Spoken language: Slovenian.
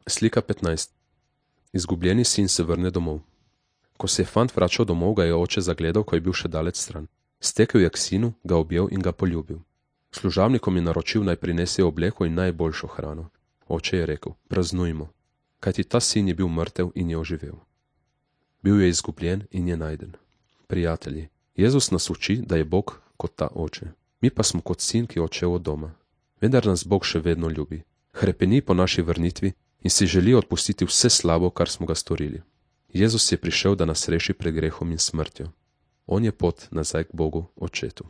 Slika 15. Izgubljeni sin se vrne domov. Ko se je fant vračal domov, ga je oče zagledal, ko je bil še daleč stran. Stekel je k sinu, ga objel in ga poljubil. Služabnikom je naročil, naj prinesejo obleko in najboljšo hrano. Oče je rekel: praznujmo, kajti ta sin je bil mrtev in je oživel. Bil je izgubljen in je najden. Prijatelji, Jezus nas uči, da je Bog kot ta oče. Mi pa smo kot sin, ki je odšel od doma. Vendar nas Bog še vedno ljubi. Hrepeni po naši vrnitvi in si želi odpustiti vse slabo, kar smo ga storili. Jezus je prišel, da nas reši pred grehom in smrtjo. On je pot nazaj k Bogu, Očetu.